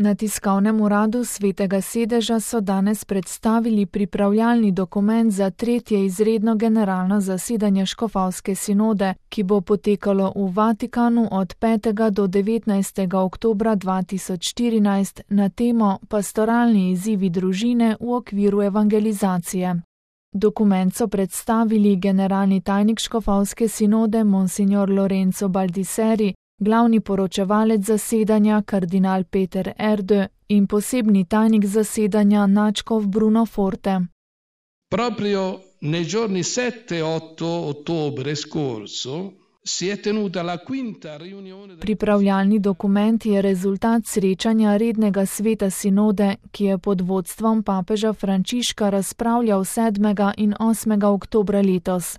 Na tiskovnem uradu Svetega sedeža so danes predstavili pripravljalni dokument za 3. izredno generalno zasedanje škofovske sinode, ki bo potekalo v Vatikanu od 5. do 19. oktobra 2014 na temo Pastoralni izzivi družine v okviru evangelizacije. Dokument so predstavili generalni tajnik škofovske sinode Monsignor Lorenzo Baldisseri, glavni poročevalec zasedanja kardinal Peter Erdő in posebni tajnik zasedanja nadškof Bruno Forte. Proprio nei giorni 7-8 ottobre scorso si è tenuta la quinta riunione. Pripravljalni dokument je rezultat srečanja rednega sveta sinode, ki je pod vodstvom papeža Frančiška razpravljal 7. in 8. oktobra letos.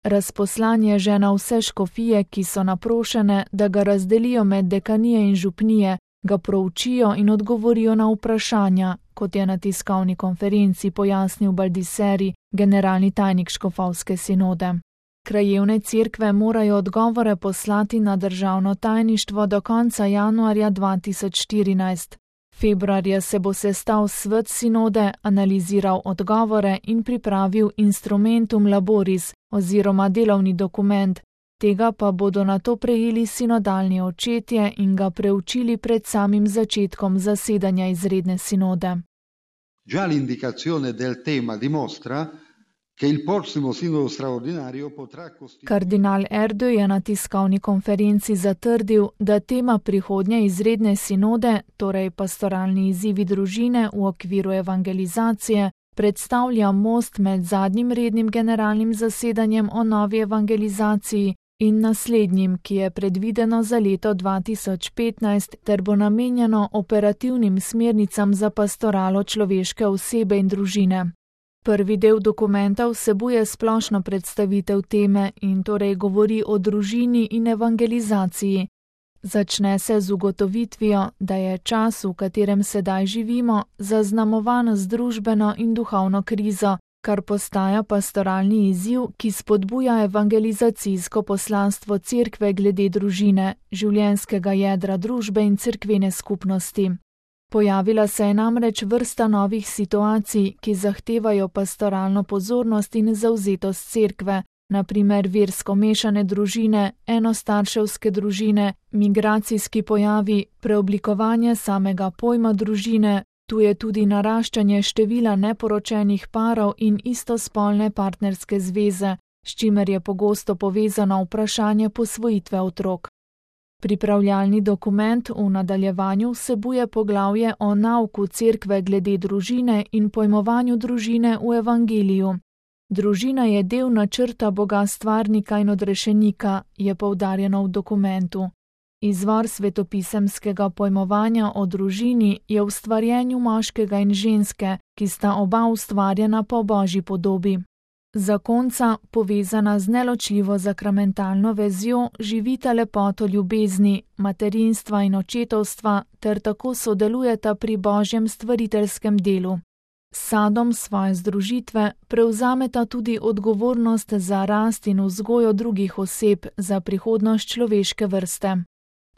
Razposlan je že na vse škofije, ki so naprošene, da ga razdelijo med dekanije in župnije, ga proučijo in odgovorijo na vprašanja, kot je na tiskovni konferenci pojasnil Baldisseri, generalni tajnik škofovske sinode. Krajevne cerkve morajo odgovore poslati na državno tajništvo do konca januarja 2014. Februarja se bo sestal svet sinode, analiziral odgovore in pripravil instrumentum laboris oziroma delovni dokument, tega pa bodo nato prejeli sinodalni očetje in ga preučili pred samim začetkom zasedanja izredne sinode. Già l'indicazione del tema dimostra che il prossimo sinodo straordinario potrà costituire. Kardinal Erdő je na tiskovni konferenci zatrdil, da tema prihodnje izredne sinode, torej pastoralni izzivi družine v okviru evangelizacije, predstavlja most med zadnjim rednim generalnim zasedanjem o novi evangelizaciji in naslednjim, ki je predvideno za leto 2015 ter bo namenjeno operativnim smernicam za pastoralo človeške osebe in družine. Prvi del dokumenta vsebuje splošno predstavitev teme in torej govori o družini in evangelizaciji. Začne se z ugotovitvijo, da je čas, v katerem sedaj živimo, zaznamovan z družbeno in duhovno krizo, kar postaja pastoralni izziv, ki spodbuja evangelizacijsko poslanstvo cerkve glede družine, življenjskega jedra družbe in cerkvene skupnosti. Pojavila se je namreč vrsta novih situacij, ki zahtevajo pastoralno pozornost in zavzetost cerkve, na primer versko mešane družine, enostarševske družine, migracijski pojavi, preoblikovanje samega pojma družine, tu je tudi naraščanje števila neporočenih parov in istospolne partnerske zveze, s čimer je pogosto povezano vprašanje posvojitve otrok. Pripravljalni dokument v nadaljevanju vsebuje poglavje o nauku cerkve glede družine in pojmovanju družine v evangeliju. Družina je del načrta Boga stvarnika in odrešenika, je poudarjeno v dokumentu. Izvor svetopisemskega pojmovanja o družini je v ustvarjenju moškega in ženske, ki sta oba ustvarjena po Božji podobi. Zakonca, povezana z neločljivo sakramentalno vezjo, živita lepoto ljubezni, materinstva in očetovstva ter tako sodelujeta pri Božjem stvariteljskem delu. S sadom svoje združitve prevzameta tudi odgovornost za rast in vzgojo drugih oseb za prihodnost človeške vrste.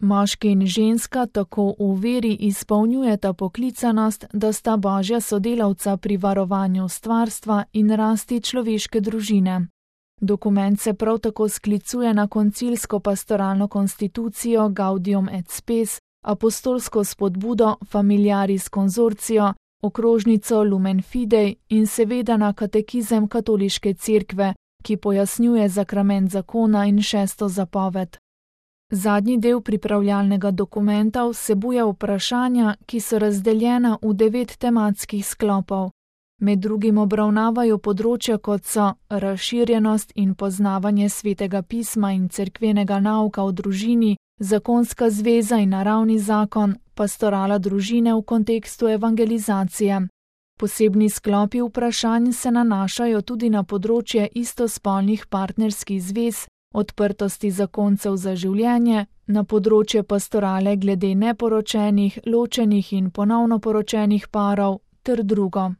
Moški in ženska tako v veri izpolnjujeta poklicanost, da sta Božja sodelavca pri varovanju stvarstva in rasti človeške družine. Dokument se prav tako sklicuje na koncilsko pastoralno konstitucijo Gaudium et Spes, apostolsko spodbudo Familiaris Consortio, okrožnico Lumen Fidei in seveda na katekizem katoliške cerkve, ki pojasnjuje sakrament zakona in 6. zapoved. Zadnji del pripravljalnega dokumenta vsebuje vprašanja, ki so razdeljena v 9 tematskih sklopov. Med drugim obravnavajo področja, kot so razširjenost in poznavanje svetega pisma in cerkvenega nauka o družini, zakonska zveza in naravni zakon, pastorala družine v kontekstu evangelizacije. Posebni sklopi vprašanj se nanašajo tudi na področje istospolnih partnerskih zvez, odprtosti zakoncev za življenje, na področje pastorale glede neporočenih, ločenih in ponovno poročenih parov ter drugo.